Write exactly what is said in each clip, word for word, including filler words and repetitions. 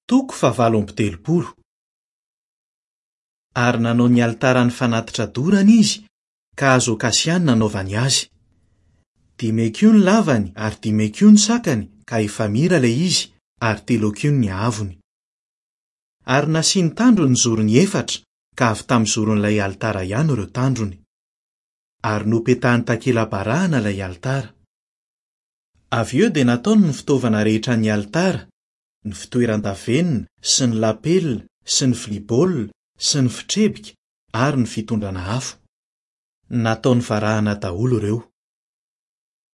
Toko fahavalo amby telopolo. Ary nanao ny alitaran'ny fanatitra dorana izy, ka hazo akasia no nanaovany azy. Dimy hakiho ny lavany ary dimy hakiho ny sakany, ka efamira ilay izy, ary telo hakiho ny haavony. Ary nasiany tandrony ny zorony efatra, ka avy tamin'ny zoron'ilay alitara ihany ireo tandrony. Ary nopetahany takela-barahana ilay alitara. Avy eo dia nataony ny fitaovana rehetra ny alitara, ny fitoeran-davenona sy ny lapelina sy ny vilia baolina sy ny fitrebika ary ny fitondrana afo. Nataony varahana daholo ireo.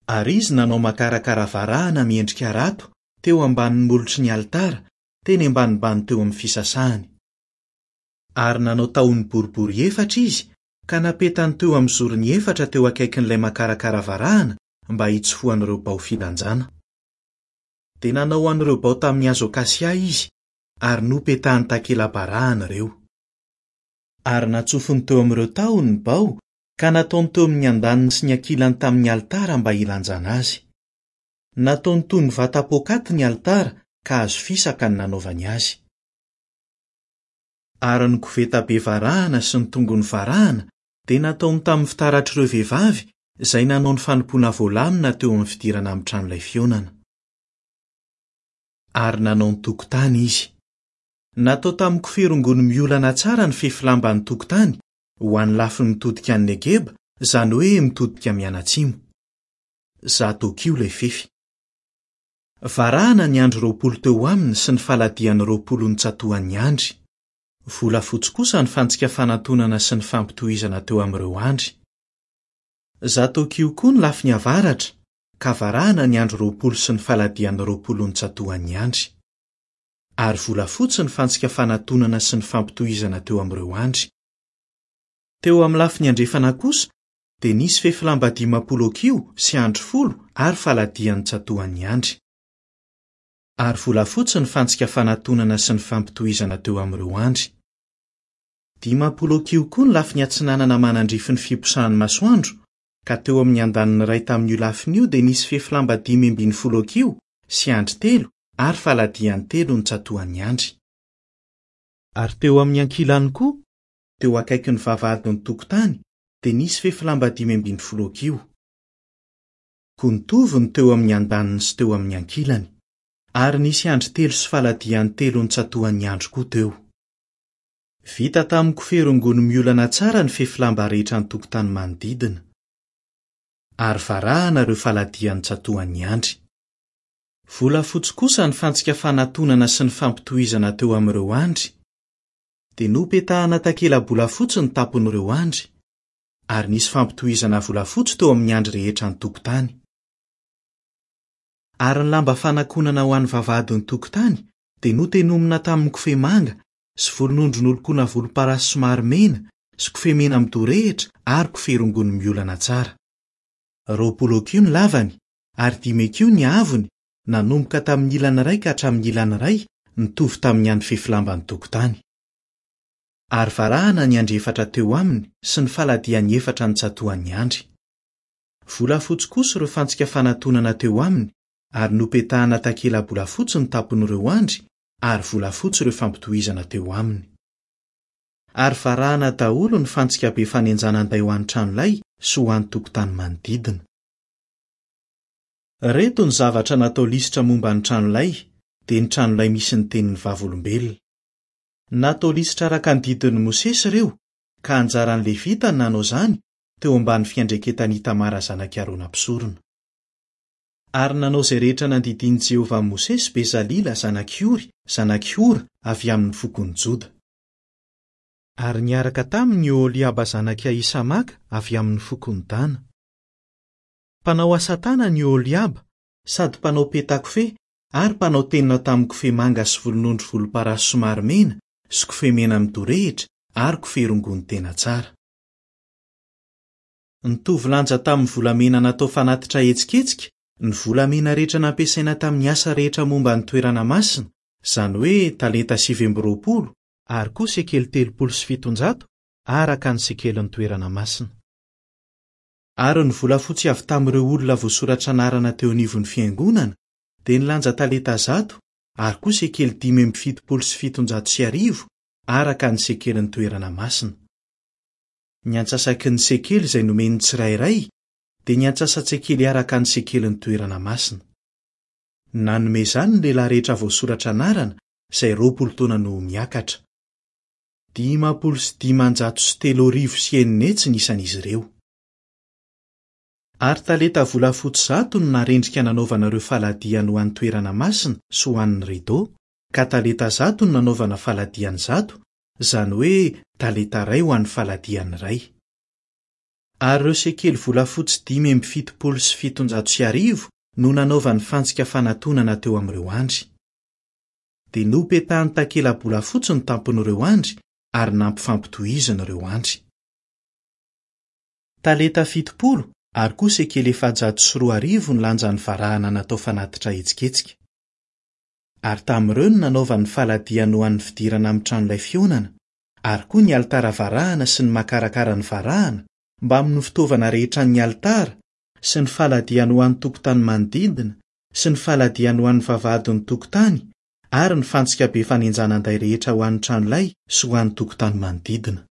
Ary izy nanao makarakara varahana miendrika rato teo ambanin'ny molotry ny alitara, teny ambanimbany teo amin'ny fisasahany. Ary nanao tahony boribory efatra izy ka napetany teo amin'ny zorony efatra teo akaikin'ilay makarakara varahana mba hitsofohan'ireo bao filanjana. Dia nanao an'ireo bao tamin'ny hazo akasia izy ary nopetahany takela-barahana ireo. Ary natsofony teo amin'ireo tahony ny bao ka nataony teo amin'ny andaniny sy ny ankilany tamin'ny alitara mba hilanjana azy. Nataony toy ny vata poakaty ny alitara ka hazo fisaka ny nanaovany azy. Ary ny koveta be varahana sy ny tongony varahana dia nataony tamin'ny fitaratr'ireo vehivavy izay nanao ny fanompoana voalamina teo amin'ny fidirana amin'ny tranolay fihaonana. Ary nanao ny tokotany izy. Natao tamin'ny kofehy rongony miolana tsara ny fefy lamban'ny tokotany ho an'ny lafiny mitodika any Negeba, izany hoe mitodika mianatsimo. Zato hakiho ilay fefy. Varahana ny andry roapolo teo aminy sy ny faladiany roapolo nitsatohan'ny andry. Volafotsy kosa ny fantsika fanantonana sy ny fampitohizana teo amin'ireo andry. Zato hakiho koa ny lafiny avaratra, ka varahana ny andry roapolo sy ny faladiany roapolo nitsatohan'ny andry. Ary volafotsy ny fantsika fanantonana sy ny fampitohizana teo amin'ireo andry. Teo amin'ny lafiny andrefana kosa dia nisy fefy lamba dimampolo hakiho sy andry folo ary faladiany nitsatohan'ny andry. Ary volafotsy ny fantsika fanantonana sy ny fampitohizana teo amin'ireo andry. Dimampolo hakiho koa ny lafiny atsinanana manandrify ny fiposahan'ny masoandro, ka teo amin'ny andaniny iray tamin'io lafiny io dia nisy fefy lamba dimy ambin'ny folo hakiho sy andry telo ary faladiany telo nitsatohan'ny andry. Ary teo amin'ny ankilany koa, teo akaikin'ny vavahadin'ny tokotany, dia nisy fefy lamba dimy ambin'ny folo hakiho. Koa nitovy ny teo amin'ny andaniny sy teo amin'ny ankilany. Ary nisy andry telo sy faladiany telo nitsatohan'ny andry koa teo. Vita tamin'ny kofehy rongony miolana tsara ny fefy lamba rehetra ny tokotany manodidina. Ary varahana ireo faladiany nitsatohan'ny andry. Volafotsy kosa ny fantsika fanantonana sy ny fampitohizana teo amin'ireo andry. Dia nopetahana takela-bolafotsy ny tampon'ireo andry, ary nisy fampitohizana volafotsy teo amin'ny andry rehetra ny tokotany. Ary ny lamba fanakonana ho an'ny vavahadin'ny tokotany dia notenomina tamin'ny kofehy manga sy volonondry nolokoana volomparasy somary mena sy kofehy mena midorehitra ary kofehy rongony miolana tsara. Roapolo hakiho ny lavany ary dimy hakiho ny haavony, nanomboka tamin'ny ilany iray ka hatramin'ny ilany iray, nitovy tamin'ny an'ny fefy lamban'ny tokotany. Ary varahana ny andry efatra teo aminy sy ny faladiany efatra nitsatohan'ny andry. Volafotsy kosa ireo fantsika fanantonana teo aminy, ary nopetahana takela-bolafotsy ny tampon'ireo andry, ary volafotsy ireo fampitohizana teo aminy. Ary varahana daholo ny fantsika be fanenjanan-day ho an'ny tranolay sy ho an'ny tokotany manodidina. Reto ny zavatra natao lisitra momba ny tranolay, dia ny tranolay misy ny tenin'ny vavolombelona. Natao lisitra araka ny didin'i Mosesy ireo, ka anjaran'ny Levita no nanao izany teo ambany fiandraiketan'i Itamara zanak'i Arona mpisorona. Ary nanao izay rehetra nandidian'i Jehovah amin'i Mosesy Bezalila zanak'i Ory, zanak'i Hora avy amin'ny fokon'i Joda. Ary niaraka taminy i Oholiaba zanak'i Ahisamaka avy amin'ny fokon'i Dana. Mpanao asa tanana i Oholiaba, sady mpanao petakofehy ary mpanao tenona tamin'ny kofehy manga sy volonondry volomparasy somary mena sy kofehy mena midorehitra ary kofehy rongony tena tsara. Nitovy lanja tamin'ny volamena natao fanatitra hetsiketsika ny volamena rehetra nampiasaina tamin'ny asa rehetra momba ny toerana masina, izany hoe talenta sivy amby roapolo ary koa sekely telopolo sy fitonjato araka ny sekelin'ny toerana masina. Ary ny volafotsy avy tamin'ireo olona voasoratra anarana teo anivon'ny fiangonana dia nilanja talenta zato ary koa sekely dimy amby fitopolo sy fitonjato sy arivo araka ny sekelin'ny toerana masina. Ny antsasaky ny sekely izay nomen'ny tsirairay dia ny antsasa-tsekely araka ny sekelin'ny toerana masina. Nanome izany ny lehilahy rehetra voasoratra anarana izay roapolo taona no miakatra. Dimampolo sy dimanjato sy telo arivo sy enina hetsy ny isan'izy ireo. Ary talenta volafotsy zato no narendrika nanaovana ireo faladiany ho an'ny toerana masina sy ho an'ny rideau, ka talenta zato no nanaovana faladiany zato, izany hoe talenta iray ho an'ny faladiany iray. Ary ireo sekely volafotsy dimy amby fitopolo sy fitonjato sy arivo no nanaovany fantsika fanatonana teo amin'ireo andry. Dia nopetahany takela-bolafotsy ny tampon'ireo andry ary nampifampitohiziny ireo andry. Talenta fitopolo ary koa sekely efajato sy roa arivo ny lanjan'ny varahana natao fanatitra hetsiketsika. Ary tamin'ireo no nanaovany faladiany ho an'ny fidirana amin'ny tranolay fihaonana, ary koa ny alitara varahana sy ny makarakara ny varahana, mbamin'ny fitaovana rehetra ny alitara, sy ny faladiany ho an'ny tokotany manodidina, sy ny faladiany ho an'ny vavahadin'ny tokotany, ary ny fantsika be fanenjanan-day rehetra ho an'ny tranolay sy ho an'ny tokotany manodidina.